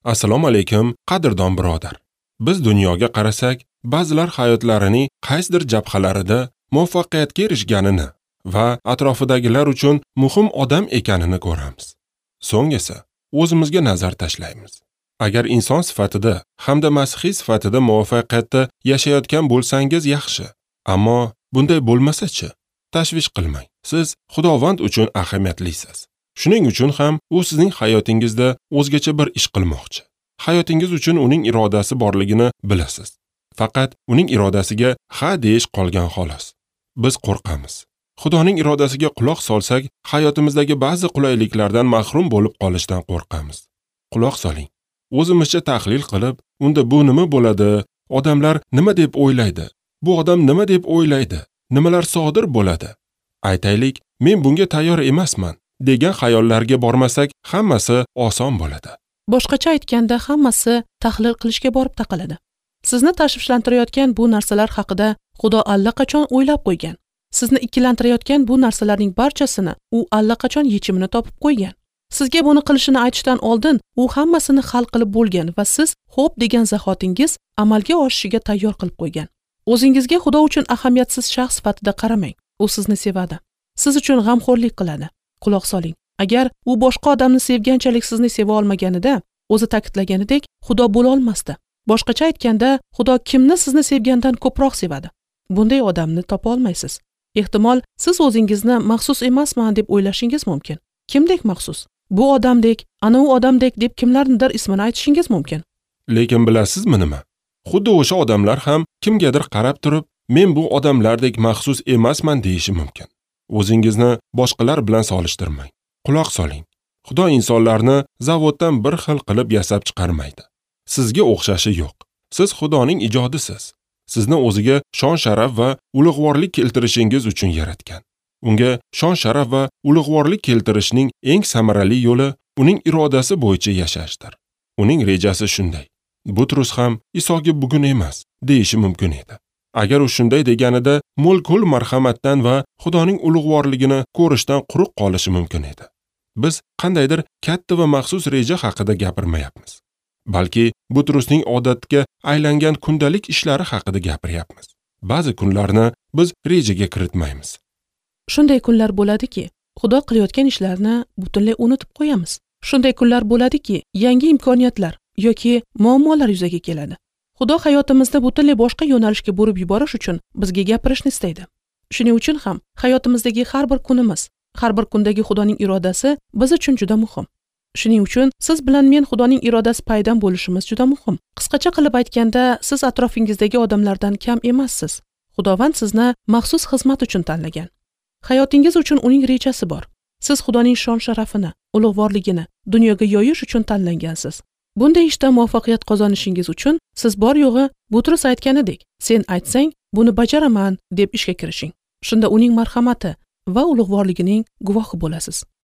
Assalomu alaykum, qadrdon birodar. Biz dunyoga qarasak, ba'zilar hayotlarining qaysidir jabhalarida muvaffaqiyatga erishganini va atrofidagilar uchun muhim odam ekanini ko'ramiz. So'ng esa o'zimizga nazar tashlaymiz. Agar inson sifatida hamda masihiy sifatida muvaffaqiyatda yashayotgan bo'lsangiz yaxshi, ammo bunday bo'lmasa-chi, tashvish qilmang. Siz Xudovand uchun ahamiyatlisiz. Shuning uchun ham u sizning hayotingizda o'zgacha bir ish qilmoqchi. Hayotingiz uchun uning irodasi borligini bilasiz. Faqat uning irodasiga ha deyish qolgan xolos. Biz qo'rqamiz. Xudoning irodasiga quloq solsak, hayotimizdagi ba'zi qulayliklardan mahrum bo'lib qolishdan qo'rqamiz. Quloq soling. O'zimizcha tahlil qilib, unda bu nima bo'ladi? Odamlar nima deb o'ylaydi? Bu odam nima deb o'ylaydi? Nimalar sodir bo'ladi? Aytaylik, men bunga tayyor emasman degan xayollarga bormasak, hammasi oson bo'ladi. Boshqacha aytganda, hammasi tahlil qilishga borib taqaladi. Sizni tashvishlantirayotgan bu narsalar haqida Xudo allaqachon o'ylab qo'ygan. Sizni ikkilantirayotgan bu narsalarning barchasini u allaqachon yechimini topib qo'ygan. Sizga buni qilishini aytishdan oldin u hammasini hal qilib bo'lgan va siz xo'p degan zahotingiz amalga oshishiga tayyor qilib qo'ygan. O'zingizga Xudo uchun ahamiyatsiz shaxs sifatida qaramang. U sizni sevadi. Siz uchun g'amxo'rlik qiladi. Quloq soling. Agar u boshqa odamni sevganchalik sizni seva olmaganida, o'zi ta'kidlaganidek, Xudo bo'la olmasdi. Boshqacha aytganda, Xudo kimni sizni sevgandan ko'proq sevadi? Bunday odamni topa olmaysiz. Ehtimol, siz o'zingizni maxsus emasman deb o'ylashingiz mumkin. Kimdek maxsus? Bu odamdek, ana u odamdek deb kimlarnidir ismini aytishingiz mumkin. Lekin bilasizmi nima? Xuddi o'sha odamlar ham kimgadir qarab turib, men bu odamlardek maxsus emasman deyishi mumkin. O'zingizni boshqalar bilan solishtirmang. Quloq soling. Xudo insonlarni zavoddan bir xil qilib yasab chiqarmaydi. Sizga o'xshashi yo'q. Siz Xudoning ijodisiz. Sizni o'ziga shon-sharaf va ulug'vorlik keltirishingiz uchun yaratgan. Unga shon-sharaf va ulug'vorlik keltirishning eng samarali yo'li uning irodasi bo'yicha yashashdir. Uning rejasi shunday. Butrus ham Isoga bugun emas deyishi mumkin edi. Agar u shunday deganida, mo'l-ko'l marhamatdan va Xudoning ulug'vorligini ko'rishdan quruq qolishi mumkin edi. Biz qandaydir katta va maxsus reja haqida gapirmayapmiz. Balki Butrusning odatga aylangan kundalik ishlari haqida gapiryapmiz. Ba'zi kunlarni biz rejaga kiritmaymiz. Shunday kunlar bo'ladiki, Xudo qilayotgan ishlarni butunlay unutib qo'yamiz. Shunday kunlar bo'ladiki, yangi imkoniyatlar yoki muammolar yuzaga keladi. Xudo hayotimizda butunlay boshqa yo'nalishga burib yuborish uchun bizga gapirishni istaydi. Shuning uchun ham hayotimizdagi har bir kunimiz, har bir kundagi Xudoning irodasi biz uchun juda muhim. Shuning uchun siz bilan men Xudoning irodasi paydan bo'lishimiz juda muhim. Qisqacha qilib aytganda, siz atrofingizdagi odamlardan kam emassiz. Xudovand sizni maxsus xizmat uchun tanlagan. Hayotingiz uchun uning rejasi bor. Siz Xudoning shon-sharafini, ulug'vorligini dunyoga yoyish uchun tanlangansiz. Bunday ishda muvaffaqiyat qozonishingiz uchun siz bor yo'g'i Butrus aytganidek, sen aytsang, buni bajaraman deb ishga kirishing. Shunda uning marhamati va ulug'vorligining guvohi bo'lasiz.